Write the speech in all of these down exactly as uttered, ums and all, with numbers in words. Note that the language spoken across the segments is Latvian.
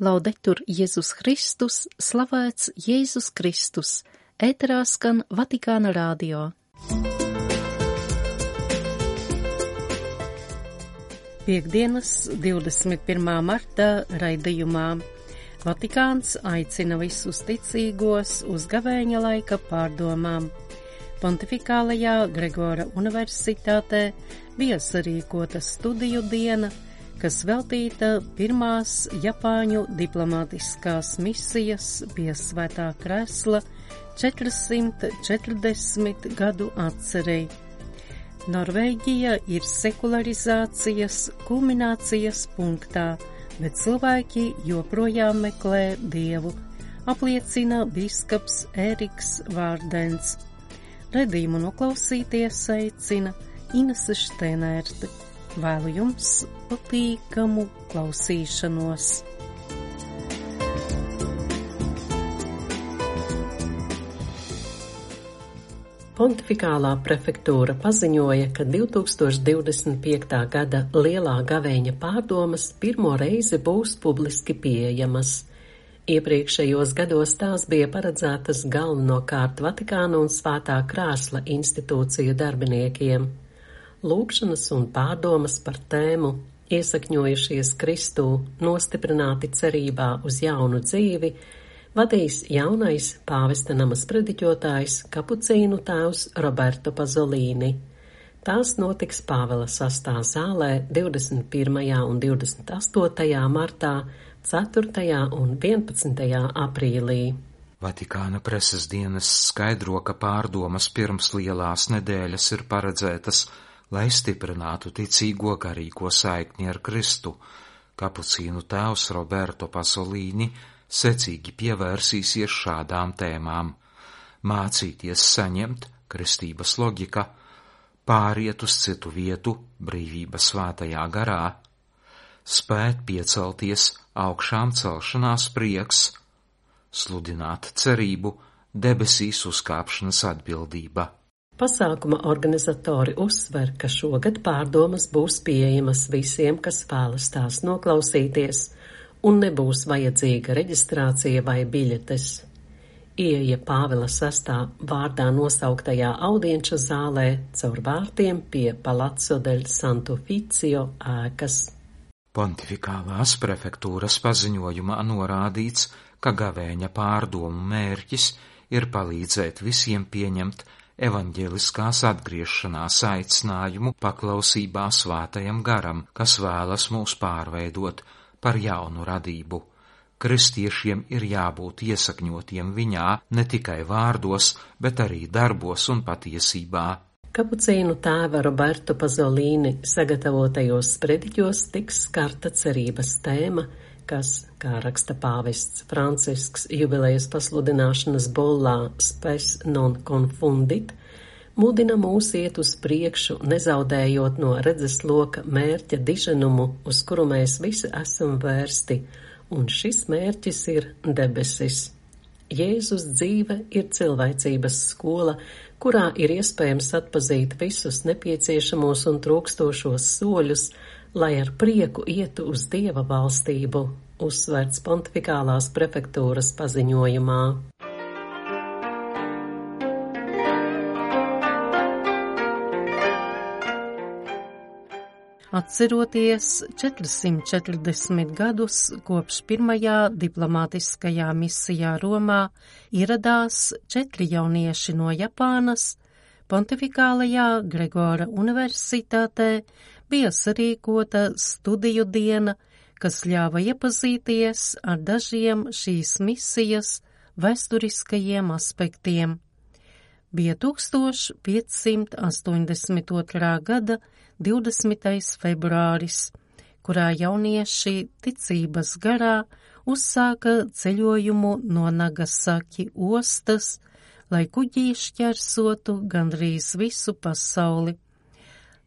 Laudetur Jēzus Kristus, slavēts Jēzus Kristus, ēterā skan Vatikāna radio. Piektdienas, divdesmit pirmā marta raidījumā Vatikāns aicina visus ticīgos uz gavēņa laika pārdomām. Pontifikālajā Gregora universitātē bija sarīkota studiju diena, kas veltīta pirmās Japāņu diplomātiskās misijas pie Svētā Kresla četrsimt četrdesmit gadu atcerei. Norvēģija ir sekularizācijas kulminācijas punktā, bet cilvēki joprojām meklē Dievu, apliecina bīskaps Ēriks Vārdens. Redījumu noklausīties aicina Inese Šteinērte. Vēlu jums patīkamu klausīšanos. Pontifikālā prefektūra paziņoja, ka divtūkstoš divdesmit piekta gada lielā gavēņa pārdomas pirmo reizi būs publiski pieejamas. Iepriekšējos gados tās bija paredzētas galvenokārt Vatikāna un Svētā Krēsla institūciju darbiniekiem. Lūgšanas un pārdomas par tēmu, iesakņojušies Kristū, nostiprināti cerībā uz jaunu dzīvi, vadīs jaunais pāvesta nama sprediķotājs kapucīnu tēvs Roberto Pasolini. Tās notiks Pāvela sastā zālē divdesmit pirmajā un divdesmit astotajā martā, ceturtajā un vienpadsmitajā aprīlī. Vatikāna preses dienas skaidro, ka pārdomas pirms lielās nedēļas ir paredzētas, lai stiprinātu ticīgo garīgo saikni ar Kristu. Kapucīnu tēvs Roberto Pasolini secīgi pievērsīsies šādām tēmām: mācīties saņemt, kristības loģika, pāriet uz citu vietu, brīvība svētajā garā, spēt piecelties, augšām celšanās prieks, sludināt cerību, debesīs uzkāpšanas atbildība. Pasākuma organizatori uzsver, ka šogad pārdomas būs pieejamas visiem, kas vēlas tās noklausīties, un nebūs vajadzīga reģistrācija vai biļetes. Ieeja Pāvela sastā vārdā nosauktajā audienča zālē caur vārtiem pie Palazzo del Santo Ufficio ēkas. Pontifikālās prefektūras paziņojumā norādīts, ka gavēņa pārdomu mērķis ir palīdzēt visiem pieņemt evaņģeliskās atgriešanās aicinājumu paklausībā svētajam garam, kas vēlas mūs pārveidot par jaunu radību. Kristiešiem ir jābūt iesakņotiem viņā ne tikai vārdos, bet arī darbos un patiesībā. Kapucīnu tēva Roberto Pasolini sagatavotajos sprediķos tiks skarta cerības tēma, kas, kā raksta pāvests Francisks jubilejas pasludināšanas bullā Spes non confundit, mudina mūs iet uz priekšu, nezaudējot no redzesloka mērķa diženumu, uz kuru mēs visi esam vērsti, un šis mērķis ir debesis. Jēzus dzīve ir cilvēcības skola, kurā ir iespējams atpazīt visus nepieciešamos un trūkstošos soļus, lai ar prieku ietu uz Dieva valstību, uzsverts pontifikālās prefektūras paziņojumā. Atceroties četrsimt četrdesmit gadus kopš pirmajā diplomātiskajā misijā Romā ieradās četri jaunieši no Japānas, Pontifikālajā Gregora universitātē bija sarīkota studiju diena, kas ļāva iepazīties ar dažiem šīs misijas vēsturiskajiem aspektiem. Bija tūkstoš piecsimt astoņdesmit otrā gada divdesmitais februāris, kurā jaunieši ticības garā uzsāka ceļojumu no Nagasaki ostas, lai kuģī šķērsotu gandrīz visu pasauli.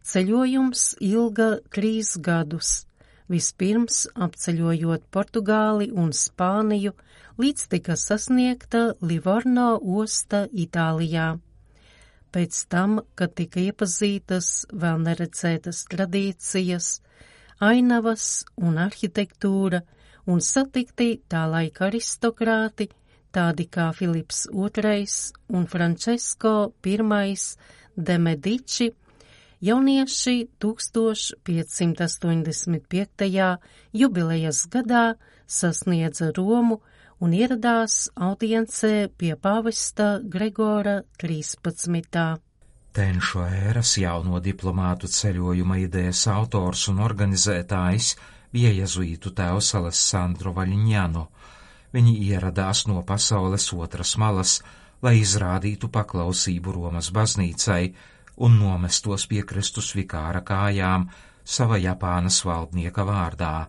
Ceļojums ilga trīs gadus, vispirms apceļojot Portugāli un Spāniju, līdz tika sasniegta Livorno osta Itālijā. Pēc tam, kad tika iepazītas vēl neredzētas tradīcijas, ainavas un arhitektūra un satikti tā laika aristokrāti, tādi kā Filips otrais un Francesco pirmais de Medici, jaunieši tūkstoš piecsimt astoņdesmit piektajā jubilejas gadā sasniedza Romu un ieradās audiencē pie pāvesta Gregora trīspadsmitā. Tenšu ēras jauno diplomātu ceļojuma idejas autors un organizētājs bija jezuītu tēvs Alessandro Vaļņano. Viņi ieradās no pasaules otras malas, lai izrādītu paklausību Romas baznīcai un nomestos pie Kristus vikāra kājām sava Japānas valdnieka vārdā.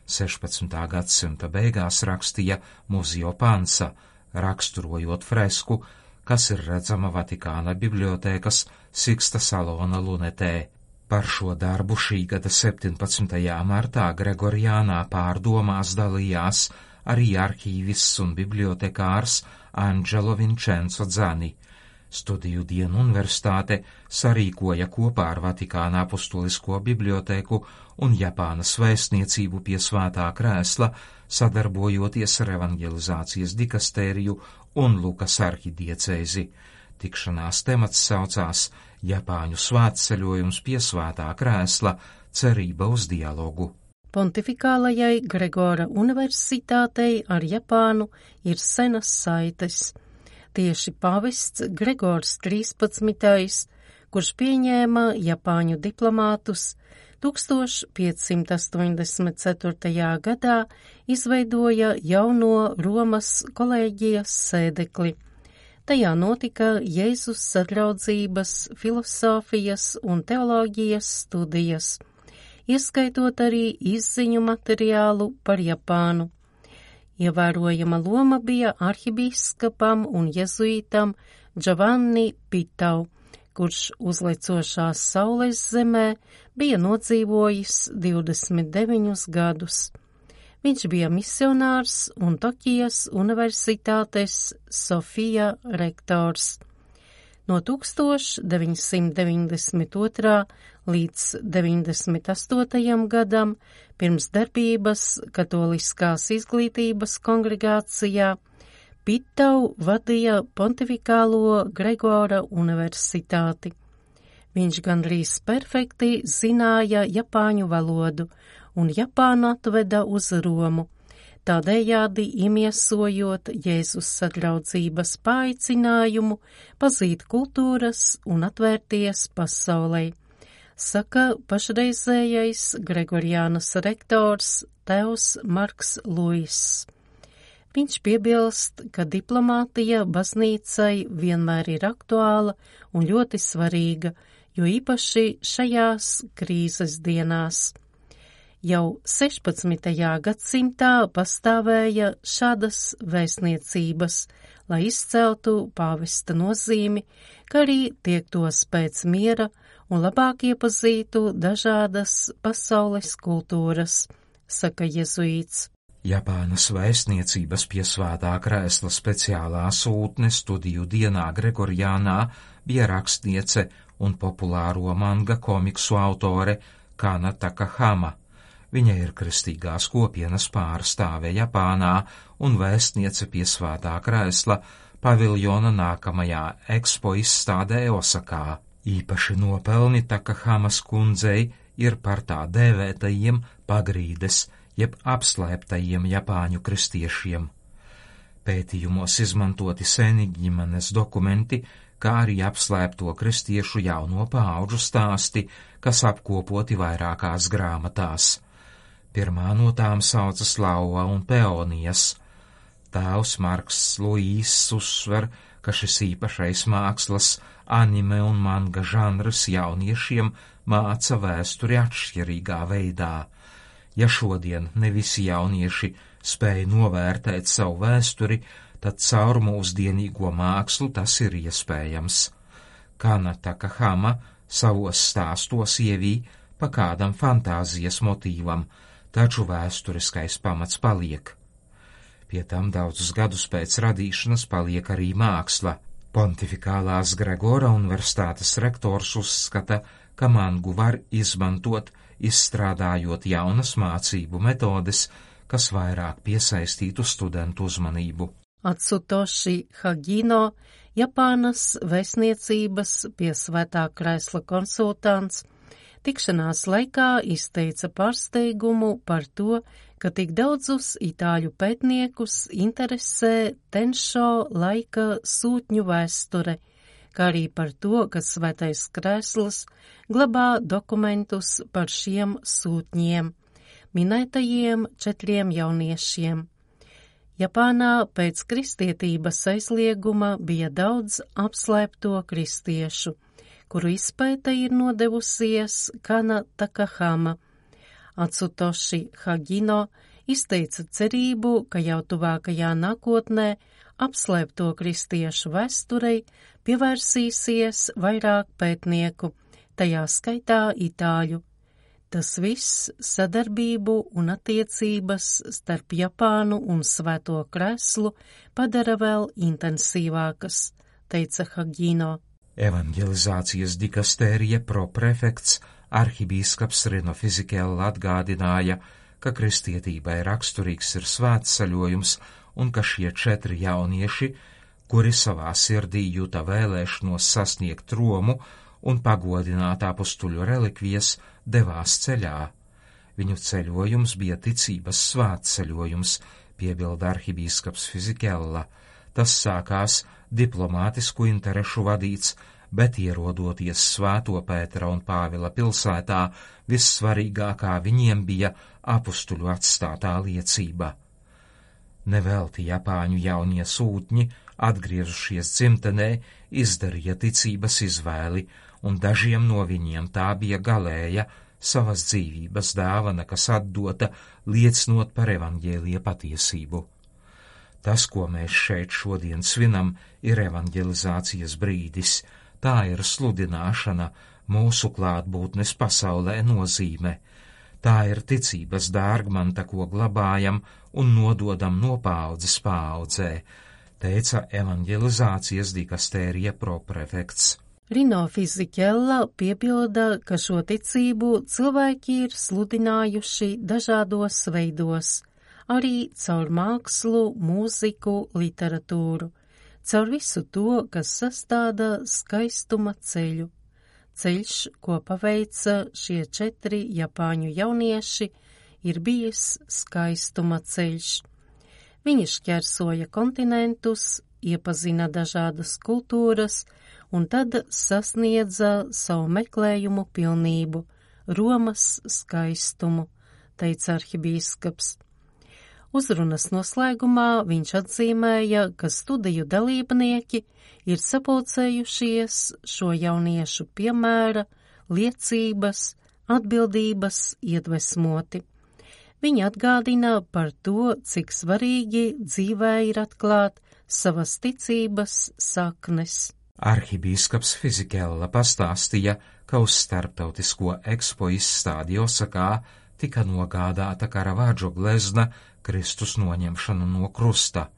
sešpadsmitā gadsimta beigās rakstīja Muzio Pansa, raksturojot fresku, kas ir redzama Vatikāna bibliotēkas Siksta salona lunetē. Par šo darbu šī gada septiņpadsmitajā martā Gregoriānā pārdomās dalījās arī arhīvists un bibliotekārs Angelo Vincenzo Dzani. Studiju dienu universitāte sarīkoja kopā ar Vatikāna apustulisko bibliotēku un Japānas vēstniecību pie Svētā krēsla, sadarbojoties ar evangelizācijas dikastēriju un Lukas arhidiecēzi. Tikšanās temats saucās Japāņu svētceļojums pie Svētā krēsla – cerība uz dialogu. Pontifikālajai Gregora universitātei ar Japānu ir senas saites. Tieši pāvests Gregors trīspadsmitais, kurš pieņēma Japāņu diplomātus, tūkstoš piecsimt astoņdesmit ceturtajā gadā izveidoja jauno Romas kolēģijas sēdekli. Tajā notika Jēzus sadraudzības, filosofijas un teoloģijas studijas, ieskaitot arī izziņu materiālu par Japānu. Ievērojama loma bija arhibīskapam un jezuītam Giovanni Pitau, kurš uzlecošās saules zemē bija nodzīvojis divdesmit deviņus gadus. Viņš bija misionārs un Tokijas universitātes Sofija rektors. No tūkstoš deviņsimt deviņdesmit otrā līdz deviņdesmit astotajam gadam pirms darbības Katoliskās izglītības kongregācijā Pitau vadīja Pontifikālo Gregora universitāti. Viņš gandrīz perfekti zināja japāņu valodu un Japānu atveda uz Romu, tādējādi imiesojot Jēzus sadraudzības paaicinājumu pazīt kultūras un atvērties pasaulei, saka pašreizējais Gregoriānas rektors tēvs Marks Luiss. Viņš piebilst, ka diplomātija baznīcai vienmēr ir aktuāla un ļoti svarīga, jo īpaši šajās krīzes dienās. Jau sešpadsmitajā gadsimtā pastāvēja šādas vēstniecības, lai izceltu pāvesta nozīmi, kā arī tiektos pēc miera un labāk iepazītu dažādas pasaules kultūras, saka jezuīts. Japānas vēstniecības pie Svētā krēsla speciālā sūtne studiju dienā Gregoriānā bija rakstniece un populāro manga komiksu autore Kana Takahama. Viņa ir kristīgās kopienas pārstāve Japānā un vēstniece pie Svētā krēsla paviljona nākamajā ekspo izstādē Osakā. Īpaši nopelni Takahamas kundzei ir par tā dēvētajiem pagrīdes, jeb apslēptajiem japāņu kristiešiem. Pētījumos izmantoti seni ģimenes dokumenti, kā arī apslēpto kristiešu jauno paauģu stāsti, kas apkopoti vairākās grāmatās. Pirmā no tām saucas Lauva un Peonijas. Tēvs Marks Luīss uzsver, ka šis īpašais mākslas, anime un manga žanrs jauniešiem māca vēsturi atšķirīgā veidā. Ja šodien ne visi jaunieši spēj novērtēt savu vēsturi, tad caur mūsdienīgo mākslu tas ir iespējams. Kana Takahama savos stāstos ievī pa kādam fantāzijas motīvam, taču vēsturiskais pamats paliek. Pie tam daudzus gadus pēc radīšanas paliek arī māksla. Pontifikālās Gregora universitātes rektors uzskata, ka mangu var izmantot, izstrādājot jaunas mācību metodes, kas vairāk piesaistītu studentu uzmanību. Atsutoshi Hagino, Japānas vēstniecības pie Svētā Krēsla konsultants, tikšanās laikā izteica pārsteigumu par to, ka tik daudzus itāļu pētniekus interesē Tenšo laika sūtņu vēsture, kā arī par to, ka Svētais Krēsls glabā dokumentus par šiem sūtņiem, minētajiem četriem jauniešiem. Japānā pēc kristietības aizlieguma bija daudz apslēpto kristiešu, kuru izpēta ir nodevusies Kana Takahama. Atsutoshi Hagino izteica cerību, ka jau tuvākajā nākotnē apslēpto kristiešu vēsturei pievērsīsies vairāk pētnieku, tajā skaitā itāļu. Tas viss sadarbību un attiecības starp Japānu un Svēto Krēslu padara vēl intensīvākas, teica Hagino. Evanģelizācijas dikastērija proprefekts arhibīskaps Rino Fizikella atgādināja, ka kristietībai raksturīgs ir svētceļojums un ka šie četri jaunieši, kuri savā sirdī jūta vēlēšanos sasniegt Romu un pagodināt apustuļu relikvijas, devās ceļā. Viņu ceļojums bija ticības svētceļojums, piebilda arhibīskaps Fizikella. Tas sākās diplomātisku interešu vadīts, bet ierodoties Svēto Pētera un Pāvila pilsētā, vissvarīgākā viņiem bija apustuļu atstātā liecība. Nevelti Japāņu jaunie sūtņi, atgriežušies dzimtenē, izdarīja ticības izvēli, un dažiem no viņiem tā bija galēja savas dzīvības dāvana, kas atdota, liecinot par evaņģēlija patiesību. Tas, ko mēs šeit šodien svinam, ir evaņģelizācijas brīdis, tā ir sludināšana, mūsu klātbūtnes pasaulē nozīme. Tā ir ticības dārgmanta, ko glabājam un nododam no paaudzes paaudzē, teica evaņģelizācijas dikastērija proprefekts. Rino Fizikella piebilda, ka šo ticību cilvēki ir sludinājuši dažādos veidos, arī caur mākslu, mūziku, literatūru, caur visu to, kas sastāda skaistuma ceļu. Ceļš, ko paveica šie četri japāņu jaunieši, ir bijis skaistuma ceļš. Viņi šķērsoja kontinentus, iepazina dažādas kultūras un tad sasniedza savu meklējumu pilnību, Romas skaistumu, teica arhibīskaps. Uzrunas noslēgumā viņš atzīmēja, ka studiju dalībnieki ir sapulcējušies šo jauniešu piemēra, liecības, atbildības iedvesmoti. Viņi atgādina par to, cik svarīgi dzīvē ir atklāt savas ticības saknes. Arhibīskaps Fizikella pastāstīja, ka uz starptautisko ekspo izstādi Osakā tika nogādāta Karavadžo glezna Kristus noņemšanu no krusta.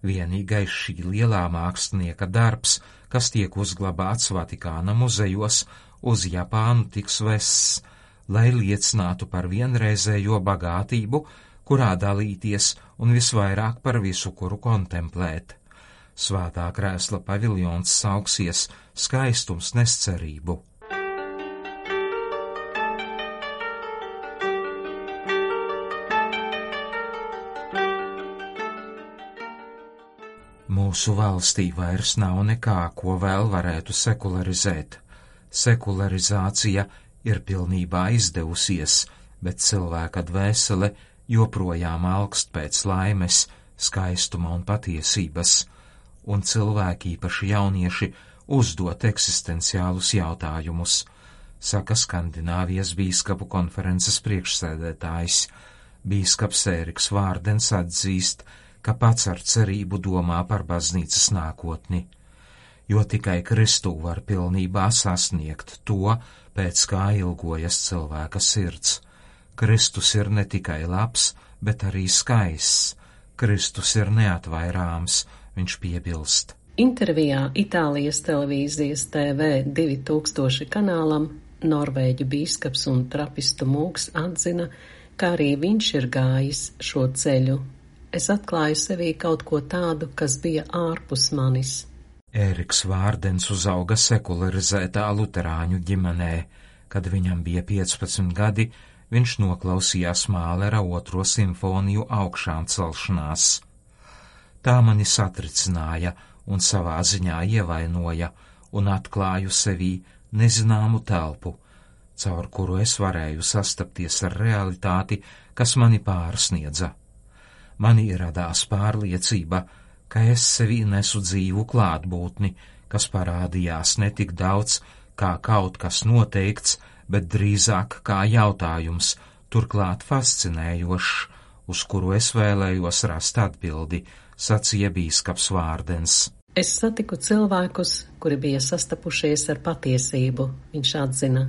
Vienīgais šī lielā mākslinieka darbs, kas tiek uzglabāts Vatikāna muzejos, uz Japānu tiks vests, lai liecinātu par vienreizējo bagātību, kurā dalīties un visvairāk par visu, kuru kontemplēt. Svētā Krēsla paviljons sauksies Skaistums nes cerību. Mūsu valstī vairs nav nekā, ko vēl varētu sekularizēt. Sekularizācija ir pilnībā izdevusies, bet cilvēka dvēsele joprojām alkst pēc laimes, skaistuma un patiesības, un cilvēki, īpaši jaunieši, uzdot eksistenciālus jautājumus, saka Skandināvijas bīskapu konferences priekšsēdētājs. Bīskaps Ēriks Vārdens atzīst, ka pats ar cerību domā par baznīcas nākotni, jo tikai Kristū var pilnībā sasniegt to, pēc kā ilgojas cilvēka sirds. Kristus ir ne tikai labs, bet arī skaists. Kristus ir neatvairāms, viņš piebilst. Intervijā Itālijas televīzijas T V divi tūkstoši kanālam Norvēģu bīskaps un trapistu mūks atzina, kā arī viņš ir gājis šo ceļu. Es atklāju sevī kaut ko tādu, kas bija ārpus manis. Ēriks Vārdens uzauga sekularizētā luterāņu ģimenē. Kad viņam bija piecpadsmit gadi, viņš noklausījās Mālera otro simfoniju augšām celšanās. Tā mani satricināja un savā ziņā ievainoja, un atklāju sevī nezināmu telpu, caur kuru es varēju sastapties ar realitāti, kas mani pārsniedza. Mani radās pārliecība, ka es sevī nesu dzīvu klātbūtni, kas parādījās ne tik daudz kā kaut kas noteikts, bet drīzāk kā jautājums, turklāt fascinējošs, uz kuru es vēlējos rast atbildi, sacīja bīskaps Vārdens. Es satiku cilvēkus, kuri bija sastapušies ar patiesību, viņš atzina.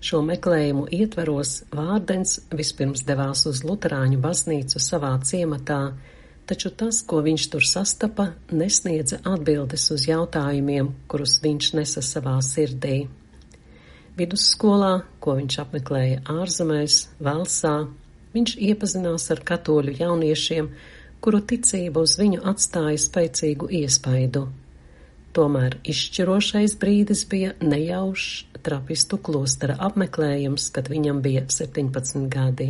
Šo meklējumu ietveros Vārdens vispirms devās uz luterāņu baznīcu savā ciematā, taču tas, ko viņš tur sastapa, nesniedza atbildes uz jautājumiem, kurus viņš nesa savā sirdī. Vidusskolā, ko viņš apmeklēja ārzemēs, Velsā, viņš iepazinās ar katoļu jauniešiem, kuru ticība uz viņu atstāja spēcīgu iespaidu. Tomēr izšķirošais brīdis bija nejaušs trapistu klostera apmeklējums, kad viņam bija septiņpadsmit gadi.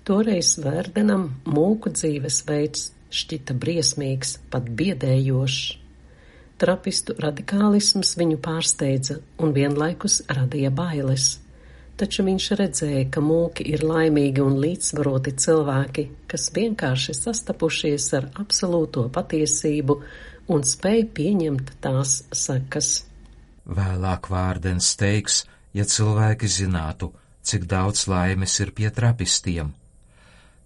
Toreiz Vārdenam mūku dzīvesveids šķita briesmīgs, pat biedējošs. Trapistu radikālisms viņu pārsteidza un vienlaikus radīja bailes. Taču viņš redzēja, ka mūki ir laimīgi un līdzsvaroti cilvēki, kas vienkārši sastapušies ar absolūto patiesību un spēj pieņemt tās sekas. Vēlāk Vārdens teiks, ja cilvēki zinātu, cik daudz laimes ir pie trapistiem.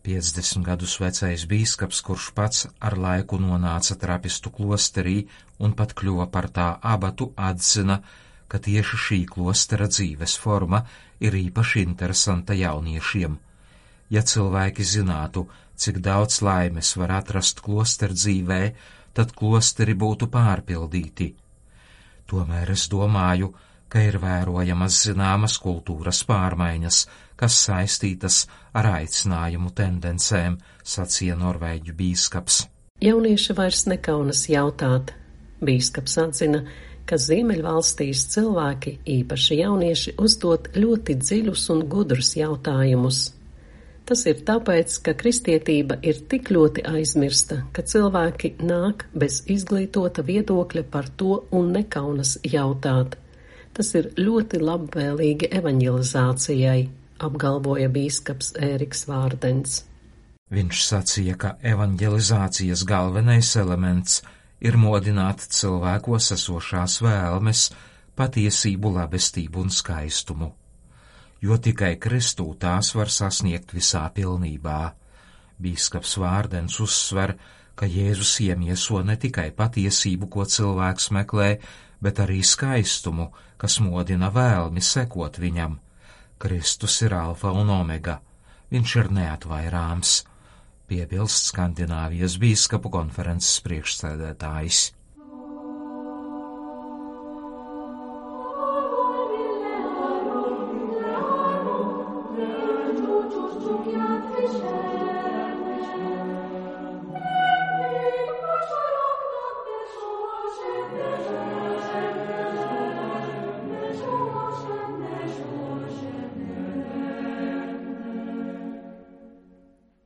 piecdesmit gadus vecais bīskaps, kurš pats ar laiku nonāca trapistu klosterī un pat kļuva par tā abatu, atzina, ka tieši šī klostera dzīves forma ir īpaši interesanta jauniešiem. Ja cilvēki zinātu, cik daudz laimes var atrast klosteru dzīvē, tad klosteri būtu pārpildīti. Tomēr es domāju, ka ir vērojamas zināmas kultūras pārmaiņas, kas saistītas ar aicinājumu tendencēm, sacīja norvēģu bīskaps. Jaunieši vairs nekaunas jautāt. Bīskaps atzina, ka Ziemeļvalstīs cilvēki, īpaši jaunieši, uzdod ļoti dziļus un gudrus jautājumus. Tas ir tāpēc, ka kristietība ir tik ļoti aizmirsta, ka cilvēki nāk bez izglītota viedokļa par to un nekaunas jautāt. Tas ir ļoti labvēlīgi evaņģelizācijai, apgalvoja bīskaps Ēriks Vārdens. Viņš sacīja, ka evaņģelizācijas galvenais elements ir modināt cilvēkos esošās vēlmes, patiesību, labestību un skaistumu, jo tikai Kristū tās var sasniegt visā pilnībā. Bīskaps Vārdens uzsver, ka Jēzus iemieso ne tikai patiesību, ko cilvēks meklē, bet arī skaistumu, kas modina vēlmi sekot viņam. Kristus ir alfa un omega, viņš ir neatvairāms, piebilst Skandināvijas bīskapu konferences priekšsēdētājs.